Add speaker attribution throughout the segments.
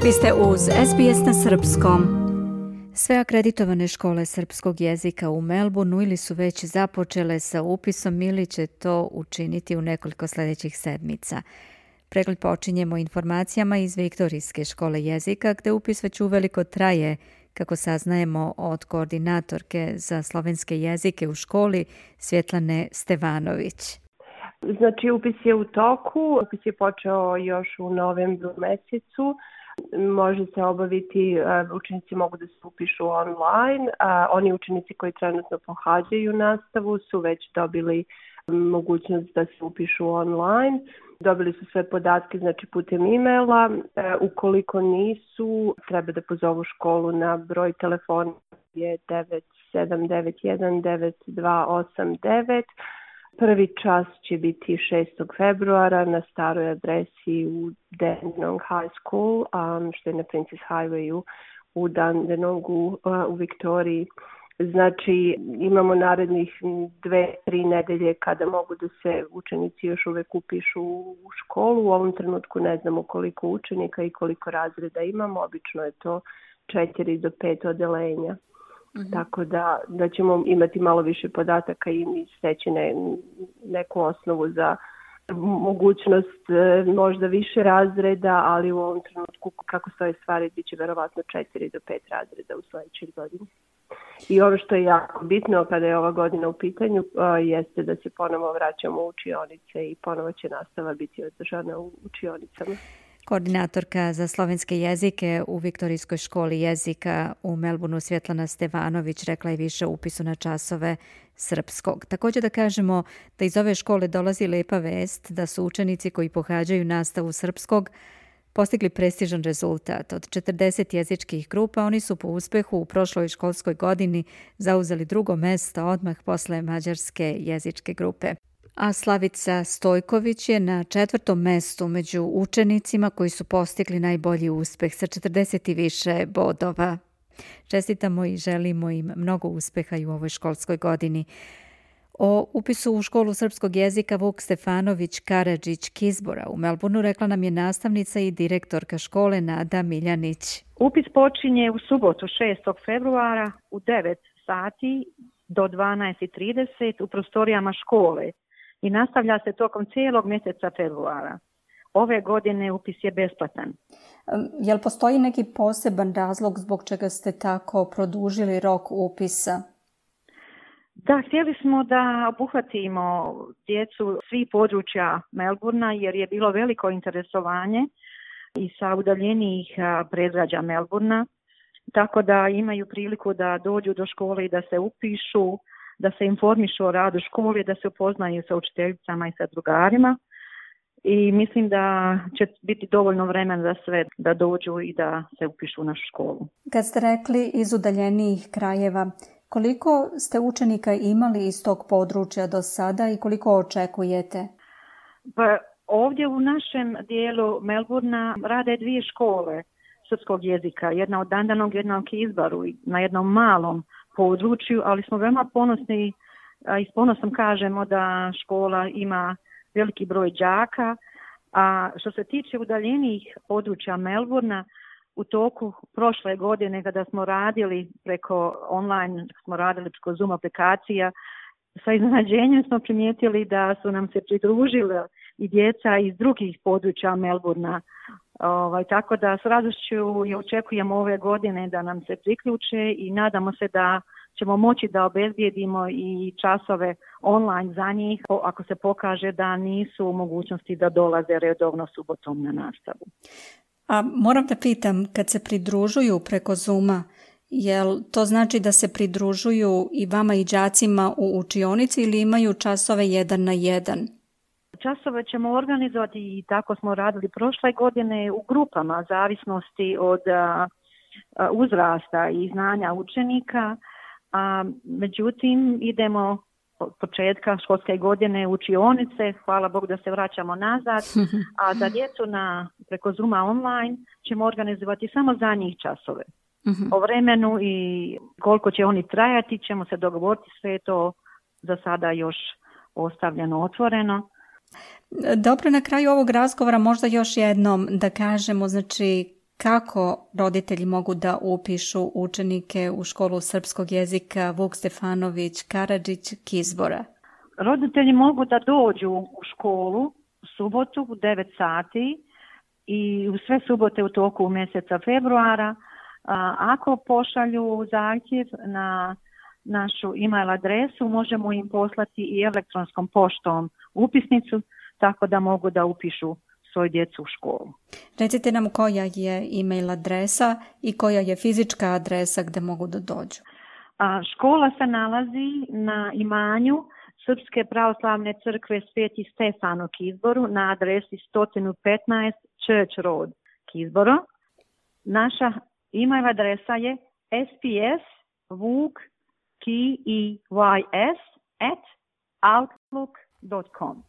Speaker 1: Vi ste uz SBS na srpskom. Sve akreditovane škole srpskog jezika u Melbourneu ili su već započele sa upisom ili će to učiniti u nekoliko sljedećih sedmica. Pregled počinjemo informacijama iz Viktorijske škole jezika, gde upis već uveliko traje, kako saznajemo od koordinatorke za slovenske jezike u školi Svjetlane Stevanović.
Speaker 2: Znači, upis je u toku, upis je počeo još u novembru mesecu. Može se obaviti, učenici mogu da se upišu online, a oni učenici koji trenutno pohađaju nastavu su već dobili mogućnost da se upišu online. Dobili su sve podatke, znači putem e-maila. Ukoliko nisu, treba da pozovu školu na broj telefona je 97919289. Prvi čas će biti 6. februara na staroj adresi u Dandenong High School, što je na Princess Highwayu u Dandenongu u Viktoriji. Znači, imamo narednih 2-3 nedelje kada mogu da se učenici još uvek upišu u školu. U ovom trenutku ne znamo koliko učenika i koliko razreda imamo. Obično je to 4 do 5 odelenja. Tako da ćemo imati malo više podataka i steći neku osnovu za mogućnost možda više razreda, ali u ovom trenutku kako stoje stvari bit će verovatno 4 do 5 razreda u sljedećoj godini. I ono što je jako bitno kada je ova godina u pitanju jeste da se ponovo vraćamo u učionice i ponovo će nastava biti održana u učionicama.
Speaker 1: Koordinatorka za slovenske jezike u Viktorijskoj školi jezika u Melbourneu Svjetlana Stevanović rekla je više o upisu na časove srpskog. Također da kažemo da iz ove škole dolazi lepa vest da su učenici koji pohađaju nastavu srpskog postigli prestižan rezultat. Od 40 jezičkih grupa oni su po uspehu u prošloj školskoj godini zauzeli drugo mesto odmah posle mađarske jezičke grupe. A Slavica Stojković je na 4. mestu među učenicima koji su postigli najbolji uspeh sa 40 i više bodova. Čestitamo i želimo im mnogo uspeha i u ovoj školskoj godini. O upisu u školu srpskog jezika Vuk Stefanović Karadžić Kizbora u Melbourneu rekla nam je nastavnica i direktorka škole Nada Miljanić.
Speaker 3: Upis počinje u subotu 6. februara u 9 sati do 12:30 u prostorijama škole i nastavlja se tokom cijelog mjeseca februara. Ove godine upis je besplatan.
Speaker 1: Jel postoji neki poseban razlog zbog čega ste tako produžili rok upisa?
Speaker 3: Da, htjeli smo da obuhvatimo djecu svih područja Melbournea jer je bilo veliko interesovanje i sa udaljenijih predgrađa Melbournea, tako da imaju priliku da dođu do škole i da se upišu, da se informišu o radu škole, da se upoznaju sa učiteljicama i sa drugarima. I mislim da će biti dovoljno vremena za sve da dođu i da se upišu u našu školu.
Speaker 1: Kad ste rekli iz udaljenijih krajeva, koliko ste učenika imali iz tog područja do sada i koliko očekujete?
Speaker 3: Pa ovdje u našem dijelu Melbournea rade 2 škole srpskog jezika. Jedna od Dandenong, jedna u Kizbaru, na jednom malom području, ali smo veoma ponosni i s ponosom kažemo da škola ima veliki broj đaka. A što se tiče udaljenijih područja Melbournea, u toku prošle godine kada smo radili preko online, smo radili preko Zoom aplikacija, sa iznenađenjem smo primijetili da su nam se pridružile i djeca iz drugih područja Melbournea. Tako da s radošću i očekujemo ove godine da nam se priključe i nadamo se da ćemo moći da obezbijedimo i časove online za njih ako se pokaže da nisu u mogućnosti da dolaze redovno subotom na nastavu.
Speaker 1: A moram da pitam, kad se pridružuju preko Zooma, jel to znači da se pridružuju i vama i đacima u učionici ili imaju časove 1 na 1?
Speaker 3: Časove ćemo organizovati i tako smo radili prošle godine u grupama, zavisnosti od uzrasta i znanja učenika. Međutim, idemo od početka školske godine u učionice, hvala Bogu da se vraćamo nazad, a za djecu preko Zooma online ćemo organizovati samo za njih časove. O vremenu i koliko će oni trajati ćemo se dogovoriti, sve to za sada još ostavljeno otvoreno.
Speaker 1: Dobro, na kraju ovog razgovora možda još jednom da kažemo, znači, Kako roditelji mogu da upišu učenike u školu srpskog jezika Vuk Stefanović Karadžić Kizbora?
Speaker 3: Roditelji mogu da dođu u školu u subotu u 9 sati i u sve subote u toku mjeseca februara. Ako pošalju zahtjev na našu e-mail adresu, možemo im poslati i elektronskom poštom upisnicu, tako da mogu da upišu svoju djecu u školu.
Speaker 1: Recite nam koja je e-mail adresa i koja je fizička adresa gdje mogu da dođu.
Speaker 3: Škola se nalazi na imanju Srpske pravoslavne crkve Sveti Stefano Kizboru na adresi 115 Church Road Kizboro. Naša e-mail adresa je spsvuk@outlook.com.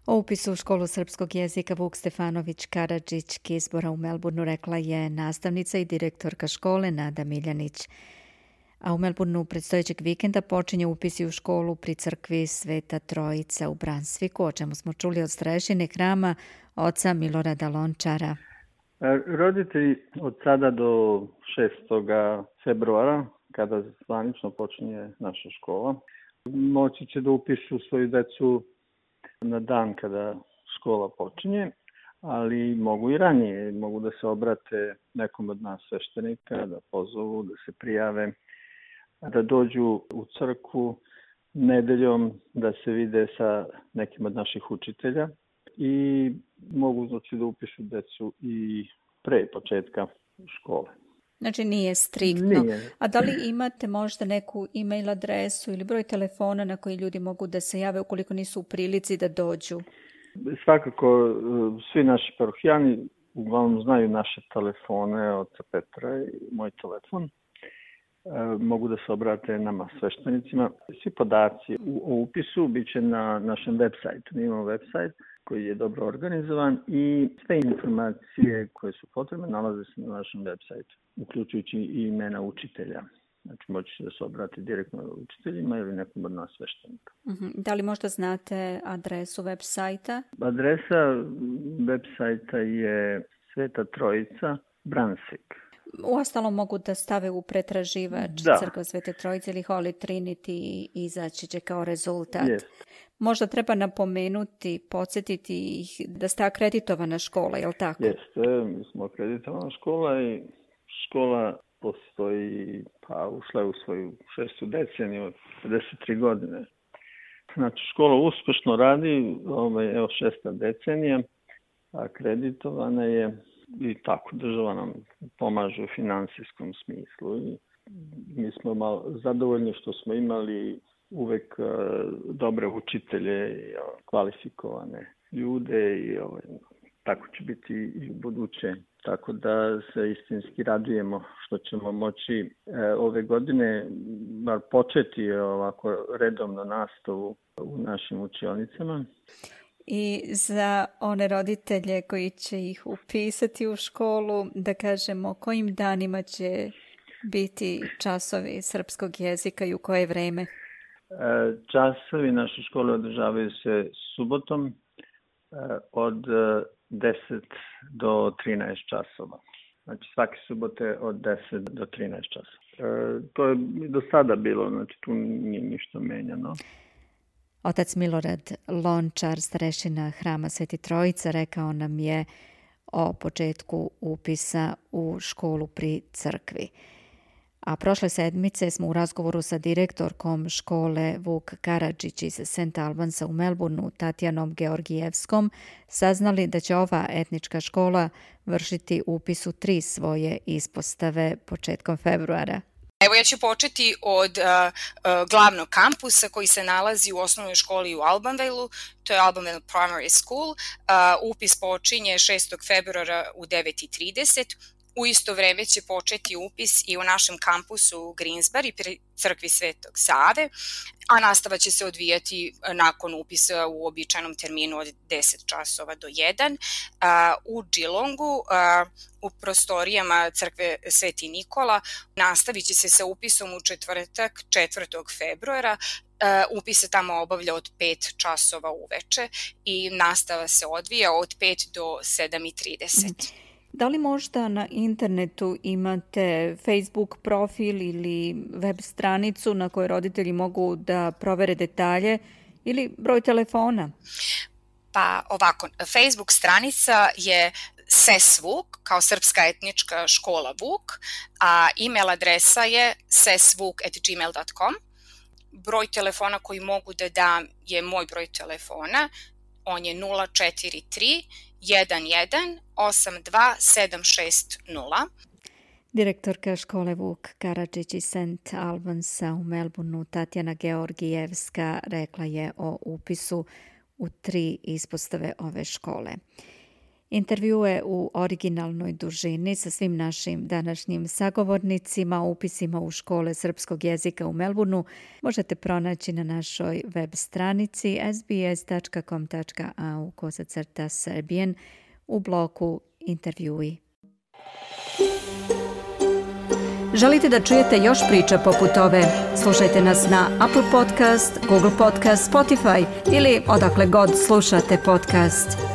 Speaker 1: O upisu u školu srpskog jezika Vuk Stefanović Karadžić Kizbora u Melbourneu rekla je nastavnica i direktorka škole Nada Miljanić. A u Melbourneu predstojećeg vikenda počinje upisi u školu pri crkvi Sveta Trojica u Brunswicku, o čemu smo čuli od starešine hrama oca Milorada Lončara.
Speaker 4: Roditelji od sada do 6. februara, kada zvanično počinje naša škola, moći će da upišu svoju decu na dan kada škola počinje, ali mogu i ranije, mogu da se obrate nekom od nas sveštenika, da pozovu, da se prijave, da dođu u crkvu nedeljom, da se vide sa nekim od naših učitelja i mogu znači da upišu decu i pre početka škole.
Speaker 1: Znači nije striktno. Nije. A da li imate možda neku e-mail adresu ili broj telefona na koji ljudi mogu da se jave ukoliko nisu u prilici da dođu?
Speaker 4: Svakako, svi naši parohijani uglavnom znaju naše telefone od Petra i moj telefon. Mogu da se obrate nama sveštenicima. Svi podaci o upisu bit će na našem web sajtu. Mi imamo web sajt koji je dobro organizovan i sve informacije koje su potrebne nalaze se na našem web sajtu, uključujući i imena učitelja. Znači moći će da se obrati direktno učiteljima ili nekom od nas sveštenika.
Speaker 1: Da li možda znate adresu web sajta?
Speaker 4: Adresa web sajta je Sveta Trojica Brunswick.
Speaker 1: Uostalom mogu da stave u pretraživač Crkva Svete Trojice ili Holy Trinity i izaći će kao rezultat.
Speaker 4: Yes.
Speaker 1: Možda treba napomenuti, podsjetiti ih da ste akreditovana škola, je li tako?
Speaker 4: Jeste, mi smo akreditovana škola i škola postoji, ušla je u svoju 6. deceniju od 53 godine. Znači škola uspešno radi, evo 6. decenija, akreditovana je. I tako država nam pomaže u finansijskom smislu i mi smo malo zadovoljni što smo imali uvek dobre učitelje i kvalifikovane ljude i tako će biti i u buduće. Tako da se istinski radujemo što ćemo moći ove godine bar početi ovako redovno nastavu u našim učionicama.
Speaker 1: I za one roditelje koji će ih upisati u školu, da kažemo kojim danima će biti časovi srpskog jezika i u koje vreme?
Speaker 4: Časovi naše škole održavaju se subotom od 10 do 13 časova. Znači svake subote od 10 do 13 časova. To je do sada bilo, znači tu nije ništa menjano.
Speaker 1: Otac Milorad Lončar, starešina hrama Sveti Trojica, rekao nam je o početku upisa u školu pri crkvi. A prošle sedmice smo u razgovoru sa direktorkom škole Vuk Karadžić iz St. Albansa u Melbourneu, Tatjanom Georgijevskom, saznali da će ova etnička škola vršiti upis u 3 svoje ispostave početkom februara.
Speaker 5: Evo ja ću početi od glavnog kampusa koji se nalazi u osnovnoj školi u Albanvale-u, to je Albanvale Primary School. Upis počinje 6. februara u 9:30. U isto vreme će početi upis i u našem kampusu u Greensbury pri crkvi Svetog Save, a nastava će se odvijati nakon upisa u običajnom terminu od 10 časova do 1. U Geelongu, u prostorijama crkve Sveti Nikola, nastavit će se sa upisom u četvrtak 4. februara. Upis se tamo obavlja od 5 časova uveče i nastava se odvija od 5 do 7:30.
Speaker 1: Da li možda na internetu imate Facebook profil ili web stranicu na kojoj roditelji mogu da provere detalje ili broj telefona?
Speaker 5: Pa ovako, Facebook stranica je SES Vuk, kao Srpska etnička škola Vuk, a email adresa je sesvuk@gmail.com. Broj telefona koji mogu da dam je moj broj telefona, on je 043 11 82 760.
Speaker 1: Direktorka škole Vuk Karadžić iz St. Albansa u Melbourneu, Tatjana Georgijevska, rekla je o upisu u 3 ispostave ove škole. Intervjue u originalnoj dužini sa svim našim današnjim sagovornicima o upisima u škole srpskog jezika u Melbourneu možete pronaći na našoj web stranici sbs.com.au/serbian u bloku Intervjui. Želite da čujete još priča poput ove? Slušajte nas na Apple Podcast, Google Podcast, Spotify ili odakle god slušate podcast.